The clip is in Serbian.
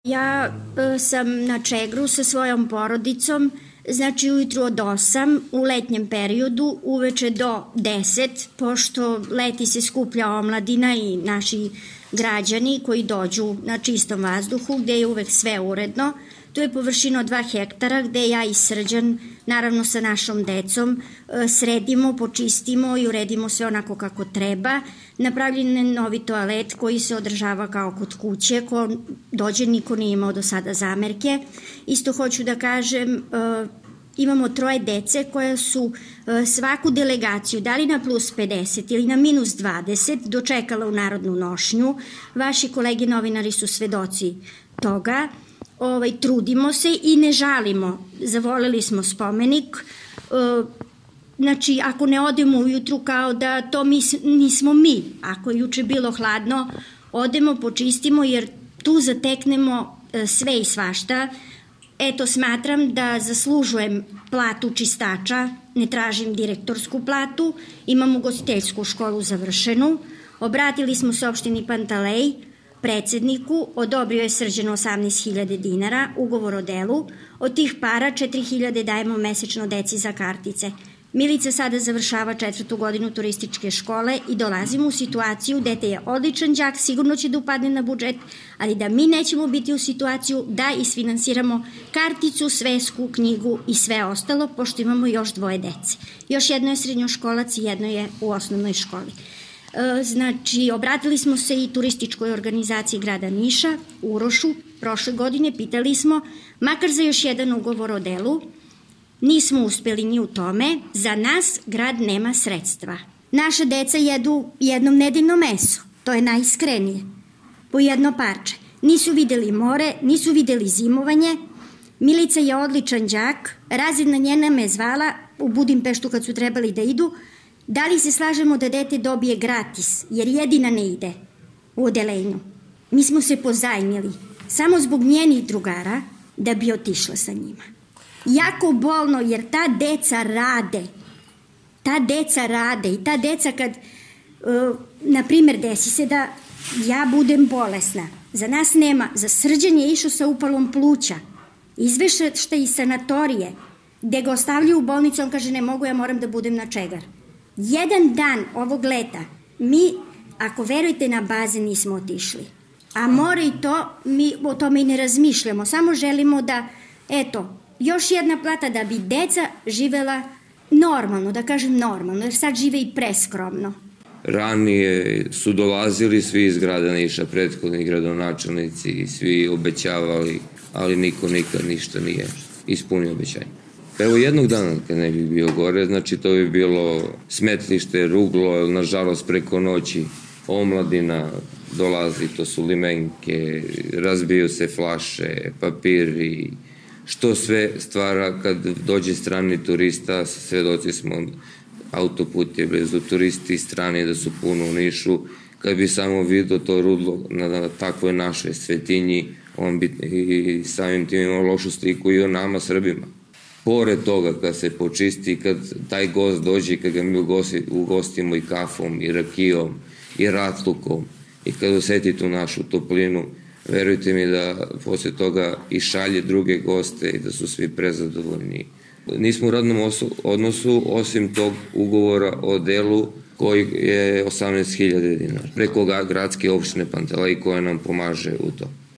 Ja sam na Čegru sa svojom porodicom, znači ujutru od 8 u letnjem periodu, uveče do 10, pošto leti se skuplja omladina i naši građani koji dođu na čistom vazduhu, gde je uvek sve uredno. Tu je površina od 2 hektara gde ja i Srđan, naravno sa našom decom, sredimo, počistimo i uredimo sve onako kako treba. Napravljen je novi toalet koji se održava kao kod kuće, ko dođe niko nije imao do sada zamerke. Isto hoću da kažem, imamo 3 dece koje su svaku delegaciju, da li na plus 50 ili na minus 20, dočekala u narodnu nošnju. Vaši kolege novinari su svedoci toga. Trudimo se i ne žalimo. Zavoleli smo spomenik. Znači, ako ne odemo ujutru kao da to nismo mi. Ako je juče bilo hladno, odemo, počistimo jer tu zateknemo sve i svašta. Eto, smatram da zaslužujem platu čistača, ne tražim direktorsku platu, imam ugostiteljsku školu završenu. Obratili smo se opštini Pantelej, predsedniku, odobrio je Srđan 18.000 dinara, ugovor o delu. Od tih para 4.000 dajemo mesečno deci za kartice. Milica sada završava 4. godinu turističke škole i dolazimo u situaciju, dete je odličan đak, sigurno će da upadne na budžet, ali da mi nećemo biti u situaciju da isfinansiramo karticu, svesku, knjigu i sve ostalo, pošto imamo još 2 dece. Još jedno je srednjoškolac i jedno je u osnovnoj školi. Znači, obratili smo se i turističkoj organizaciji grada Niša, Urošu, prošle godine, pitali smo, makar za još jedan ugovor o delu, nismo uspeli ni u tome, za nas grad nema sredstva. Naša deca jedu jednom nedeljno meso, to je najiskrenije, po jedno parče. Nisu videli more, nisu videli zimovanje. Milica je odličan đak, razredna njena me zvala u Budimpeštu kad su trebali da idu. Da li se slažemo da dete dobije gratis, jer jedina ne ide u odelenju? Mi smo se pozajmili, samo zbog njenih drugara, da bi otišla sa njima. Jako bolno, jer ta deca rade. I ta deca kad, na primer, desi se da ja budem bolesna, za nas nema, za Srđan je išao sa upalom pluća, izvešta iz sanatorije, gde ga ostavljaju u bolnicu, on kaže ne mogu, ja moram da budem na Čegar. Jedan dan ovog leta, mi, ako verujete, na bazen nismo otišli. A more i to, mi o tome i ne razmišljamo, samo želimo da, eto, još jedna plata da bi deca živela normalno, da kažem normalno, jer sad žive i preskromno. Ranije su dolazili svi iz grada Niša, prethodni gradonačelnici i svi obećavali, ali niko nikad ništa nije ispunio obećanje. Evo jednog dana kad ne bi bio gore, znači to bi bilo smetlište, ruglo, nažalost preko noći omladina dolazi, to su limenke, razbiju se flaše, papiri, što sve stvara kad dođe strani turista, svedoci smo, autoput je blizu, turisti strani da su puno u Nišu, kad bi samo vidio to rudlo na takvoj našoj svetinji, on bi i samim tim imao lošu sliku i o nama Srbima. Pored toga, kad se počisti, kad taj gost dođe, kad ga mi ugostimo i kafom, i rakijom, i ratlukom, i kad oseti tu našu toplinu, verujte mi da posle toga i šalje druge goste i da su svi prezadovoljni. Nismo u radnom odnosu, osim tog ugovora o delu koji je 18.000 dinara, preko gradske opštine Pantelej koja nam pomaže u to.